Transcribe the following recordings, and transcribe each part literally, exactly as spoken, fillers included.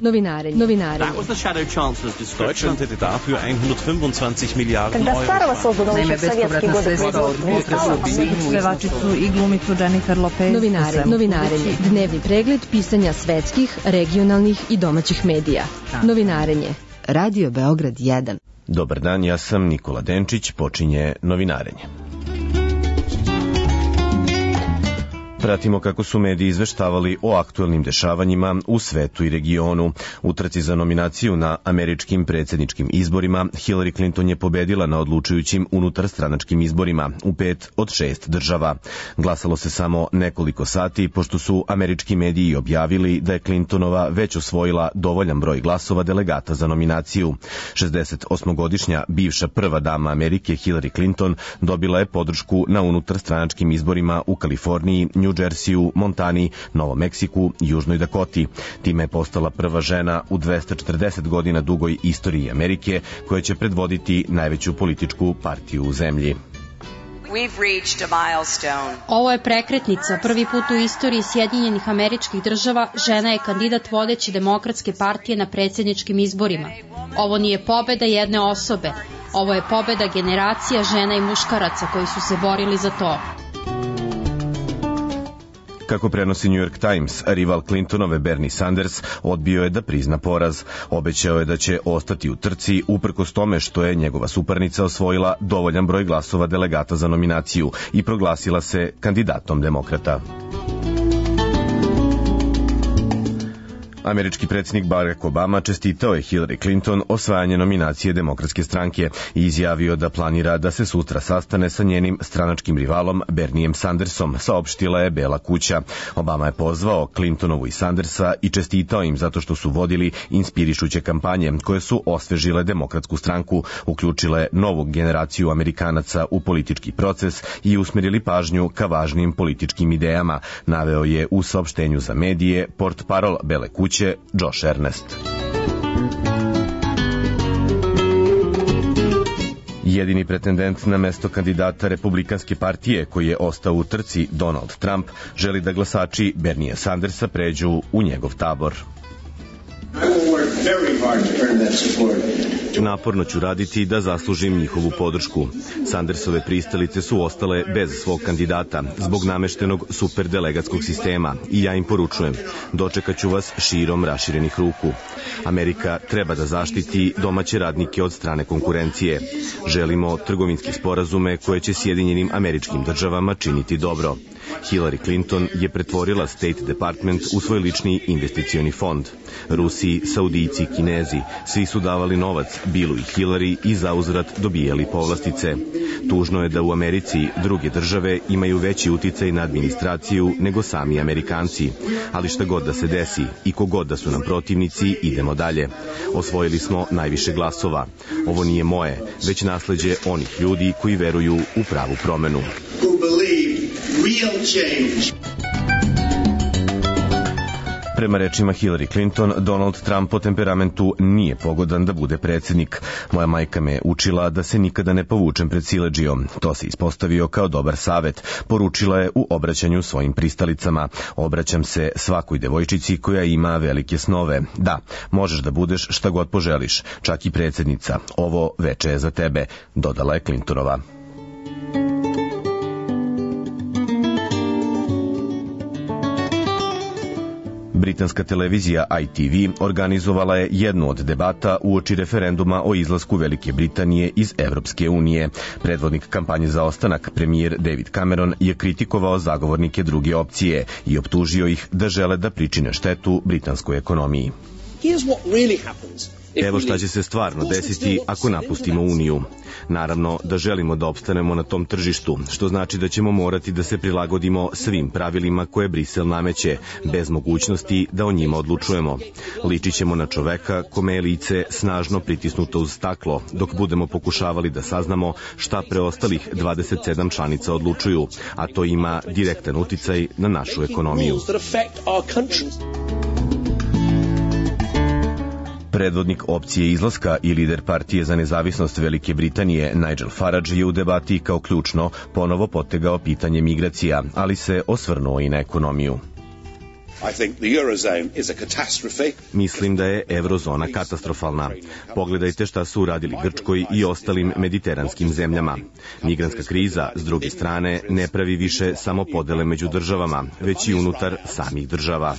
Novinarenje. Novinarenje. Deutschland hätte dafür hundertfünfundzwanzig Miliarden Euro. Naime, bespovratna sredstva od pevačicu i glumicu Jennifer Lopez. Novinarenje. Novinarenje. Dnevni pregled pisanja svetskih, regionalnih i domaćih medija. Novinarenje. Radio Beograd jedan. Dobar dan, ja sam Nikola Denčić, počinje Novinarenje. Pratimo kako su mediji izveštavali o aktuelnim dešavanjima u svetu i regionu. U trci za nominaciju na američkim predsjedničkim izborima Hillary Clinton je pobedila na odlučujućim unutarstranačkim izborima u pet od šest država. Glasalo se samo nekoliko sati, pošto su američki mediji objavili da je Clintonova već osvojila dovoljan broj glasova delegata za nominaciju. šezdesetosmogodišnja bivša prva dama Amerike Hillary Clinton dobila je podršku na unutarstranačkim izborima u Kaliforniji, New Jersey, Montani, Novom Meksiku, Južnoj Dakoti. Time je postala prva žena u dvesta četrdeset godina dugoj istoriji Amerike koja će predvoditi najveću političku partiju u zemlji. Ovo je prekretnica. Prvi put u istoriji Sjedinjenih Američkih Država žena je kandidat vodeće demokratske partije na predsjedničkim izborima. Ovo nije pobeda jedne osobe. Ovo je pobeda generacija žena i muškaraca koji su se borili za to. Kako prenosi New York Times, rival Clintonove Bernie Sanders odbio je da prizna poraz. Obećao je da će ostati u trci uprkos tome što je njegova suparnica osvojila dovoljan broj glasova delegata za nominaciju i proglasila se kandidatom demokrata. Američki predsjednik Barack Obama čestitao je Hillary Clinton osvajanje nominacije Demokratske stranke i izjavio da planira da se sutra sastane sa njenim stranačkim rivalom Bernijem Sandersom, saopštila je Bela kuća. Obama je pozvao Clintonovu i Sandersa i čestitao im zato što su vodili inspirišuće kampanje koje su osvežile Demokratsku stranku, uključile novu generaciju Amerikanaca u politički proces i usmjerili pažnju ka važnim političkim idejama, naveo je u saopštenju za medije portparol Bele kuće Josh Ernest. Jedini pretendent na mesto kandidata Republikanske partije koji je ostao u trci, Donald Trump, želi da glasači Bernija Sandersa pređu u njegov tabor. Naporno ću raditi da zaslužim njihovu podršku. Sandersove pristalice su ostale bez svog kandidata zbog nameštenog superdelegatskog sistema i ja im poručujem, dočekat ću vas širom raširenih ruku. Amerika treba da zaštiti domaće radnike od strane konkurencije. Želimo trgovinske sporazume koje će Sjedinjenim Američkim Državama činiti dobro. Hillary Clinton je pretvorila State Department u svoj lični investicioni fond. Rusi, Saudijci, Kinezi, svi su davali novac Billu i Hillary i zauzvrat dobijali povlastice. Tužno je da u Americi druge države imaju veći uticaj na administraciju nego sami Amerikanci. Ali šta god da se desi i kogod da su nam protivnici, idemo dalje. Osvojili smo najviše glasova. Ovo nije moje, već nasleđe onih ljudi koji veruju u pravu promenu. Prema rečima Hillary Clinton, Donald Trump po temperamentu nije pogodan da bude predsjednik. Moja majka me učila da se nikada ne povučem pred siledžijom. To se ispostavio kao dobar savet, poručila je u obraćanju svojim pristalicama. Obraćam se svakoj devojčici koja ima velike snove. Da, možeš da budeš šta god poželiš, čak i predsjednica. Ovo veče je za tebe, dodala je Clintonova. Britanska televizija I T V organizovala je jednu od debata uoči referenduma o izlasku Velike Britanije iz Evropske unije. Predvodnik kampanje za ostanak, premijer David Cameron, je kritikovao zagovornike druge opcije i optužio ih da žele da pričine štetu britanskoj ekonomiji. Evo šta će se stvarno desiti ako napustimo Uniju. Naravno da želimo da opstanemo na tom tržištu, što znači da ćemo morati da se prilagodimo svim pravilima koje Brisel nameće, bez mogućnosti da o njima odlučujemo. Ličit ćemo na čoveka kome je lice snažno pritisnuto uz staklo, dok budemo pokušavali da saznamo šta preostalih dvadeset sedam članica odlučuju, a to ima direktan uticaj na našu ekonomiju. Predvodnik opcije izlaska i lider partije za nezavisnost Velike Britanije Nigel Farage je u debati kao ključno ponovo potegao pitanje migracija, ali se osvrnuo i na ekonomiju. Mislim da je eurozona katastrofalna. Pogledajte šta su uradili Grčkoj i ostalim mediteranskim zemljama. Migrantska kriza, s druge strane, ne pravi više samo podele među državama, već i unutar samih država.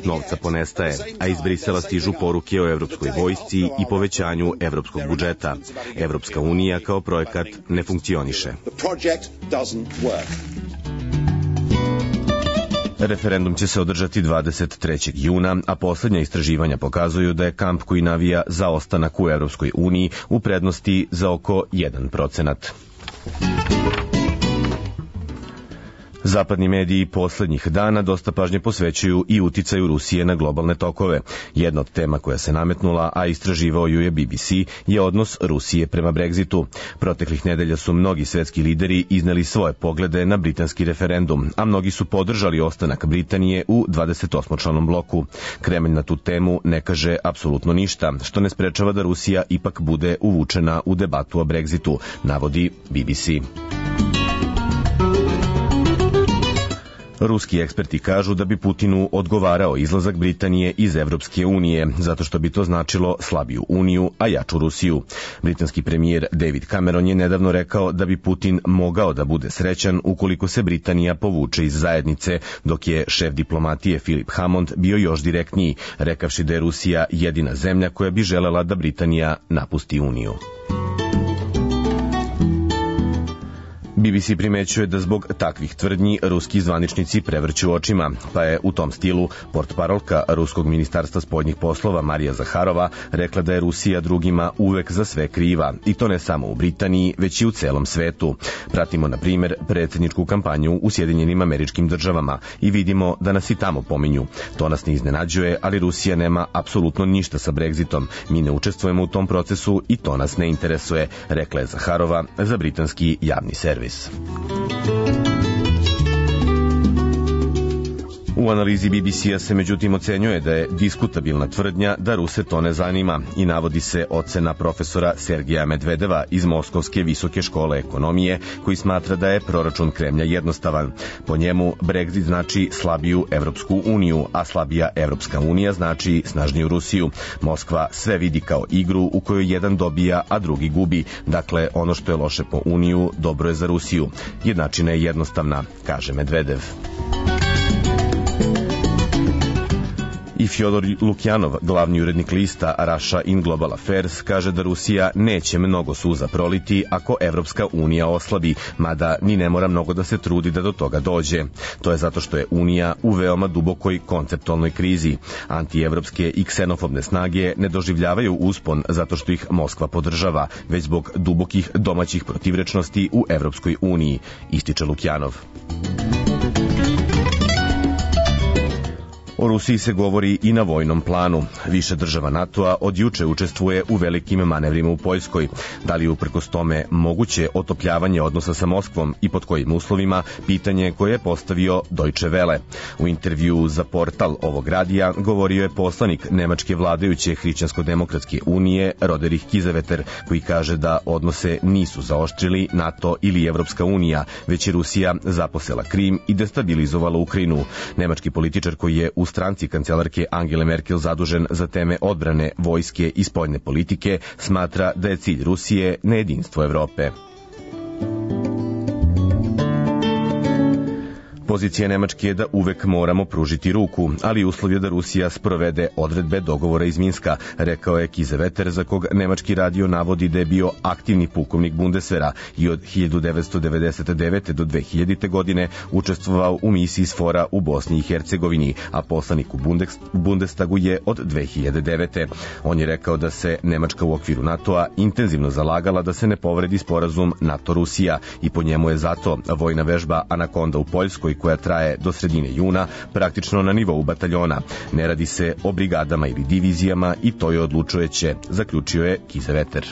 Novca ponestaje, a iz Brisela stižu poruke o evropskoj vojsci i povećanju evropskog budžeta. Evropska unija kao projekat ne funkcioniše. Referendum će se održati dvadeset trećeg juna, a poslednja istraživanja pokazuju da je kamp koji navija za ostanak u Evropskoj uniji u prednosti za oko jedan procenat. Zapadni mediji poslednjih dana dosta pažnje posvećuju i uticaju Rusije na globalne tokove. Jedna od tema koja se nametnula, a istraživao ju je B B C, je odnos Rusije prema Brexitu. Proteklih nedelja su mnogi svetski lideri izneli svoje poglede na britanski referendum, a mnogi su podržali ostanak Britanije u dvadesetosmočlanom bloku. Kremlj na tu temu ne kaže apsolutno ništa, što ne sprečava da Rusija ipak bude uvučena u debatu o Brexitu, navodi B B C. Ruski eksperti kažu da bi Putinu odgovarao izlazak Britanije iz Evropske unije, zato što bi to značilo slabiju uniju, a jaču Rusiju. Britanski premijer David Cameron je nedavno rekao da bi Putin mogao da bude srećan ukoliko se Britanija povuče iz zajednice, dok je šef diplomatije Philip Hammond bio još direktniji, rekavši da je Rusija jedina zemlja koja bi želela da Britanija napusti uniju. B B C primećuje da zbog takvih tvrdnji ruski zvaničnici prevrću očima, pa je u tom stilu portparolka Ruskog ministarstva spoljnih poslova Marija Zaharova rekla da je Rusija drugima uvek za sve kriva, i to ne samo u Britaniji, već i u celom svetu. Pratimo, na primer, predsjedničku kampanju u Sjedinjenim Američkim Državama i vidimo da nas i tamo pominju. To nas ne iznenađuje, ali Rusija nema apsolutno ništa sa Brexitom. Mi ne učestvujemo u tom procesu i to nas ne interesuje, rekla je Zaharova za britanski javni servis. U analizi B B C-a se međutim ocenjuje da je diskutabilna tvrdnja da Ruse to ne zanima i navodi se ocena profesora Sergeja Medvedeva iz Moskovske visoke škole ekonomije, koji smatra da je proračun Kremlja jednostavan. Po njemu Brexit znači slabiju Evropsku uniju, a slabija Evropska unija znači snažniju Rusiju. Moskva sve vidi kao igru u kojoj jedan dobija, a drugi gubi. Dakle, ono što je loše po uniju, dobro je za Rusiju. Jednačina je jednostavna, kaže Medvedev. I Fjodor Lukjanov, glavni urednik lista Russia in Global Affairs, kaže da Rusija neće mnogo suza proliti ako Evropska unija oslabi, mada ni ne mora mnogo da se trudi da do toga dođe. To je zato što je unija u veoma dubokoj konceptualnoj krizi. Antievropske i ksenofobne snage ne doživljavaju uspon zato što ih Moskva podržava, već zbog dubokih domaćih protivrečnosti u Evropskoj uniji, ističe Lukjanov. O Rusiji se govori i na vojnom planu. Više država NATO-a od juče učestvuje u velikim manevrima u Poljskoj. Da li je uprkos tome moguće otopljavanje odnosa sa Moskvom i pod kojim uslovima, pitanje koje je postavio Deutsche Welle. U intervju za portal ovog radija govorio je poslanik nemačke vladajuće Hrišćansko-demokratske unije Roderich Kiesewetter, koji kaže da odnose nisu zaoštrili NATO ili Evropska unija, već je Rusija zaposela Krim i destabilizovala Ukrajinu. Nemački političar koji je u stranci kancelarke Angele Merkel zadužen za teme odbrane, vojske i spoljne politike, smatra da je cilj Rusije nejedinstvo Evrope. Pozicija Nemačke je da uvek moramo pružiti ruku, ali uslov je da Rusija sprovede odredbe dogovora iz Minska, rekao je Kiesewetter, za kog nemački radio navodi da je bio aktivni pukovnik Bundeswehra i od hiljadu devetsto devedeset devete. do dve hiljadite. godine učestvovao u misiji SFOR-a u Bosni i Hercegovini, a poslanik u Bundestagu je od dve hiljade devete. On je rekao da se Nemačka u okviru NATO-a intenzivno zalagala da se ne povredi sporazum NATO-Rusija i po njemu je zato vojna vežba Anakonda u Poljskoj, koja traje do sredine juna, praktično na nivou bataljona. Ne radi se o brigadama ili divizijama i to je odlučujuće, zaključio je Kiesewetter.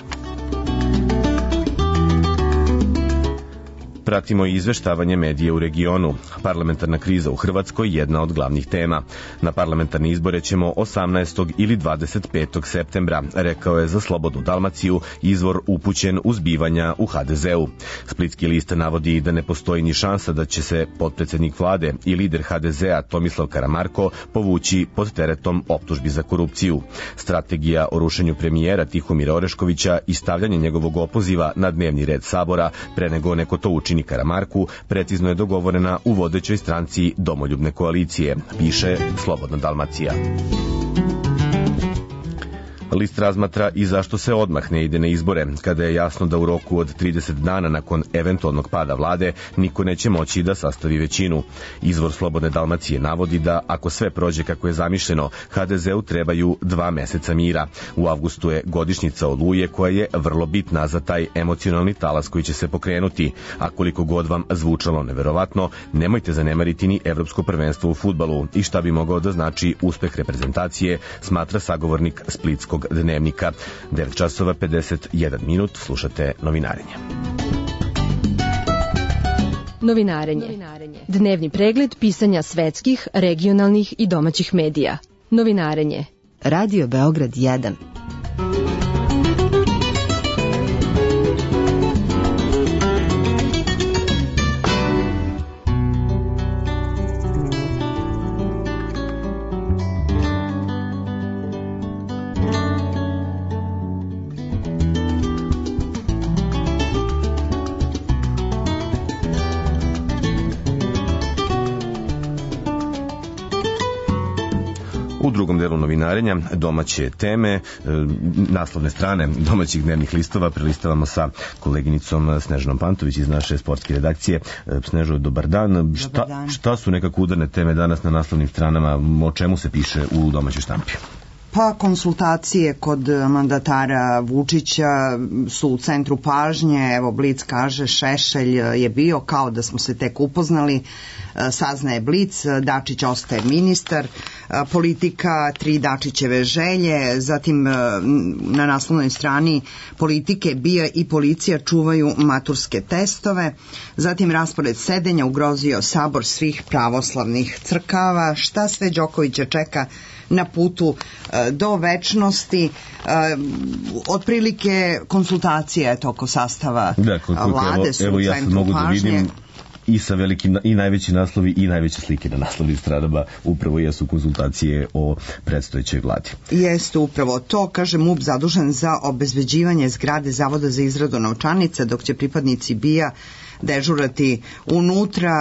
Pratimo i izveštavanje medije u regionu. Parlamentarna kriza u Hrvatskoj jedna od glavnih tema. Na parlamentarne izbore ćemo osamnaestog ili dvadeset petog septembra, rekao je za Slobodnu Dalmaciju izvor upućen u zbivanja u ha de zeu. Splitski list navodi da ne postoji ni šansa da će se potpredsednik vlade i lider ha de zea Tomislav Karamarko povući pod teretom optužbi za korupciju. Strategija o rušenju premijera Tihomira Oreškovića i stavljanje njegovog opoziva na dnevni red Sabora pre nego neko to učini Karamarku precizno je dogovorena u vodećoj stranci Domoljubne koalicije, piše Slobodna Dalmacija. List razmatra i zašto se odmah ne ide na izbore, kada je jasno da u roku od trideset dana nakon eventualnog pada vlade niko neće moći da sastavi većinu. Izvor Slobodne Dalmacije navodi da ako sve prođe kako je zamišljeno, ha de zeu trebaju dva meseca mira. U avgustu je godišnjica Oluje koja je vrlo bitna za taj emocionalni talas koji će se pokrenuti, a koliko god vam zvučalo neverovatno, nemojte zanemariti ni evropsko prvenstvo u fudbalu i šta bi mogao da znači uspeh reprezentacije, smatra sagovornik Splitskog dnevnika. devet časova pedeset jedan minut, slušate Novinarenje. Novinarenje. Dnevni pregled pisanja svetskih, regionalnih i domaćih medija. Novinarenje. Radio Beograd jedan. U drugom delu novinarenja domaće teme, naslovne strane domaćih dnevnih listova prelistavamo sa koleginicom Snežanom Pantović iz naše sportske redakcije. Snežo, dobar dan. Dobar šta, dan. Šta su nekako udarne teme danas na naslovnim stranama? O čemu se piše u domaćoj štampi? Pa konsultacije kod mandatara Vučića su u centru pažnje. Evo Blic kaže Šešelj je bio kao da smo se tek upoznali. Saznaje Blic, Dačić ostaje ministar, politika, tri Dačićeve želje, zatim na naslovnoj strani politike, BIA i policija čuvaju maturske testove, zatim raspored sedenja ugrozio sabor svih pravoslavnih crkava, šta sve Đokovića čeka na putu do večnosti, otprilike konsultacije eto, oko sastava da, koliko, vlade su evo, u ja centru mogu pažnje. Da vidim i sa velikim, i najveći naslovi i najveće slike na naslovnim stranama upravo jesu konsultacije o predstojećoj vladi. Jeste upravo to, kaže M U P zadužen za obezbeđivanje zgrade Zavoda za izradu novčanica, dok će pripadnici BIA dežurati unutra,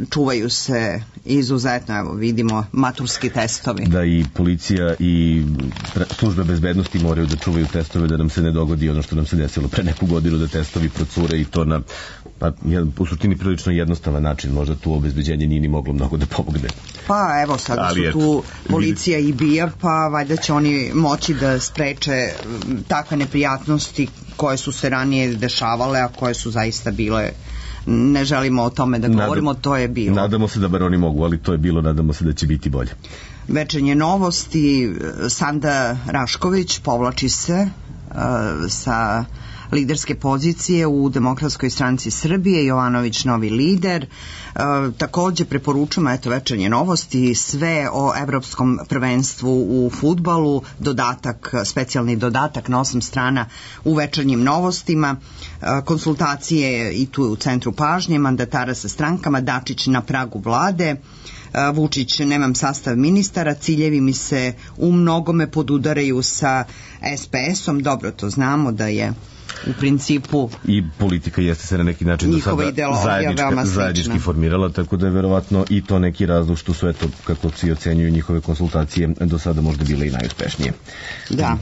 čuvaju se izuzetno, evo vidimo, maturski testovi. Da, i policija i službe bezbednosti moraju da čuvaju testove, da nam se ne dogodi ono što nam se desilo pre neku godinu, da testovi procure i to na pa, u suštini prilično jednostavan način, možda tu obezbeđenje nije ni moglo mnogo da pomogne. Pa evo sada Ali su tu policija i BIA, pa valjda će oni moći da spreče takve neprijatnosti koje su se ranije dešavale, a koje su zaista bile, ne želimo o tome da govorimo, Nadam, to je bilo. Nadamo se da bar oni mogu, ali to je bilo, nadamo se da će biti bolje. Večernje novosti, Sanda Rašković povlači se uh, sa liderske pozicije u Demokratskoj stranci Srbije, Jovanović novi lider. E, takođe preporučujemo, eto večernje novosti, sve o evropskom prvenstvu u fudbalu, dodatak, specijalni dodatak na osam strana u večernjim novostima, e, konsultacije i tu u centru pažnje, mandatara sa strankama, Dačić na pragu vlade, Vučić, nemam sastav ministara, ciljevi mi se u mnogome podudaraju sa es pe esom, dobro to znamo da je u principu i politika jeste se na neki način do sada zajednički, zajednički formirala, tako da je verovatno i to neki razlog što su, eto, kako svi ocenjuju njihove konsultacije, do sada možda bile i najuspešnije. Da.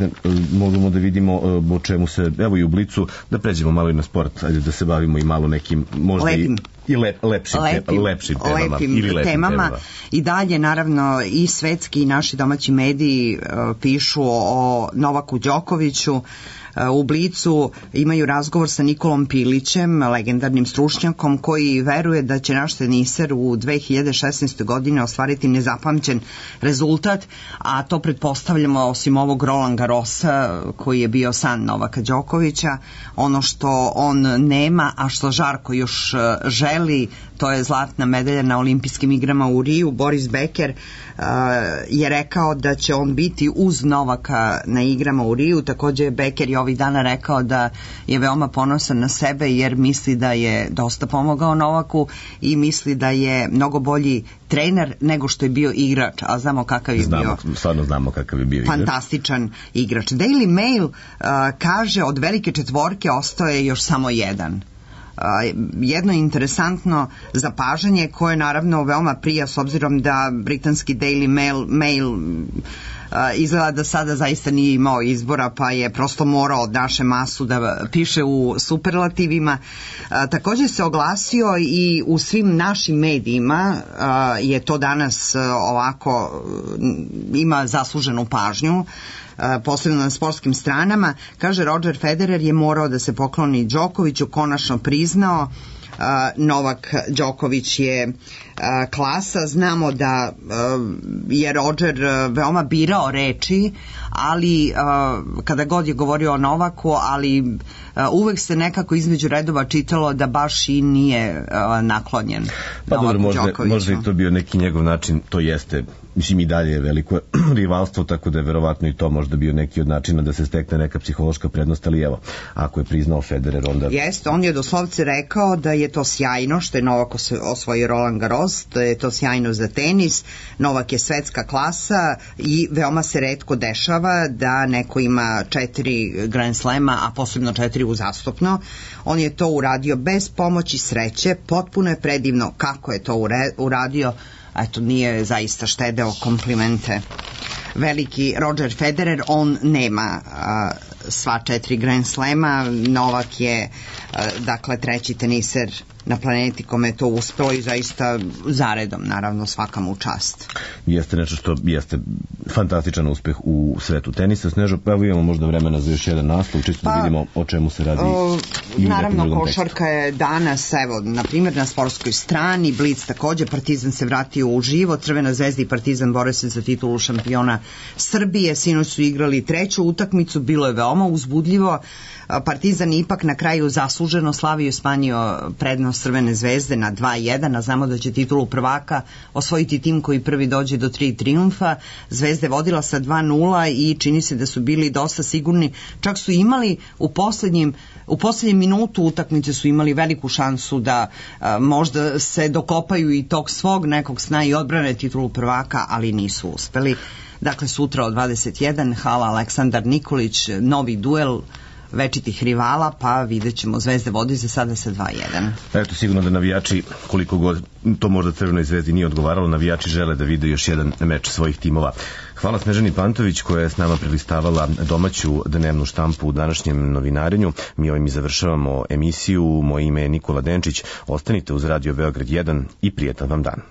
Možemo da vidimo o čemu se, evo i u Blicu, da pređemo malo i na sport, ajde da se bavimo i malo nekim, možda lepim. i I lep, lepšim, lepim, lepšim temama. Lepim ili lepim temama. temama. I dalje, naravno, i svetski i naši domaći mediji uh, pišu o Novaku Đokoviću. u Blicu imaju razgovor sa Nikolom Pilićem, legendarnim stručnjakom koji veruje da će naš teniser u dve hiljade šesnaestoj. godine ostvariti nezapamćen rezultat, a to pretpostavljamo osim ovog Roland Garrosa koji je bio san Novaka Đokovića. Ono što on nema, a što Žarko još želi, to je zlatna medalja na olimpijskim igrama u Riju. Boris Becker uh, je rekao da će on biti uz Novaka na igrama u Riju. Takođe Becker je ovih dana rekao da je veoma ponosan na sebe jer misli da je dosta pomogao Novaku i misli da je mnogo bolji trener nego što je bio igrač, a znamo kakav je znamo, bio. Stvarno znamo kakav je bio igrač. Fantastičan igrač. Daily Mail uh, kaže od velike četvorke ostao je još samo jedan. Uh, jedno interesantno zapažanje koje naravno veoma prija s obzirom da britanski Daily Mail, Mail uh, izgleda da sada zaista nije imao izbora pa je prosto morao od naše masu da piše u superlativima. Uh, također se oglasio i u svim našim medijima uh, je to danas uh, ovako uh, ima zasluženu pažnju. Posebno na sportskim stranama, kaže Roger Federer je morao da se pokloni Đokoviću, konačno priznao. Novak Đoković je klasa, znamo da je Roger veoma birao reči, ali kada god je govorio o Novaku, ali uvek se nekako između redova čitalo da baš i nije naklonjen pa Novaku dobro, možda, Đokoviću. možda i to bio neki njegov način, to jeste, mislim i dalje je veliko rivalstvo, tako da je verovatno i to možda bio neki od načina da se stekne neka psihološka prednost, ali evo, ako je priznao Federer, onda... Jeste, on je doslovce rekao da je to sjajno što je Novak osvojio Roland Garros, da je to sjajno za tenis, Novak je svetska klasa i veoma se retko dešava da neko ima četiri Grand Slema, a posebno četiri uzastopno. On je to uradio bez pomoći sreće, potpuno je predivno kako je to uradio, eto nije zaista štedeo komplimente. Veliki Roger Federer, on nema a, sva četiri Grand Slema, Novak je a, dakle treći teniser na planeti kome je to uspelo i zaista zaredom, naravno svaka mu čast. Jeste nešto što jeste fantastičan uspeh u svetu tenisa. Snežo, pa evo imamo možda vremena za još jedan naslov, čisto pa, da vidimo o čemu se radi. O, naravno, košarka je danas, evo, na primjer na sportskoj strani, Blic takođe, Partizan se vratio u živo, Crvena zvezda i Partizan bore se za titulu šampiona Srbije, sinoć su igrali treću utakmicu, bilo je veoma uzbudljivo, Partizan ipak na kraju zasluženo slavio i smanjio prednost Crvene zvezde na dva jedan, a znamo da će titulu prvaka osvojiti tim koji prvi dođe do tri trijumfa. Zvezda je vodila sa dva nula i čini se da su bili dosta sigurni, čak su imali u poslednjim u poslednjem minutu utakmice su imali veliku šansu da a, možda se dokopaju i tog svog nekog sna i odbrane titulu prvaka, ali nisu uspeli. Dakle, sutra od dvadeset jedan, hala Aleksandar Nikolić, novi duel večitih rivala, pa vidjet ćemo, Zvezda vodi za sada sa dva jedan. Eto, sigurno da navijači, koliko god to možda Crvenoj zvezdi nije odgovaralo, navijači žele da vide još jedan meč svojih timova. Hvala Snežani Pantović koja je s nama prelistavala domaću dnevnu štampu u današnjem novinarenju. Mi ovim i završavamo emisiju. Moje ime je Nikola Denčić. Ostanite uz Radio Beograd jedan i prijetan vam dan.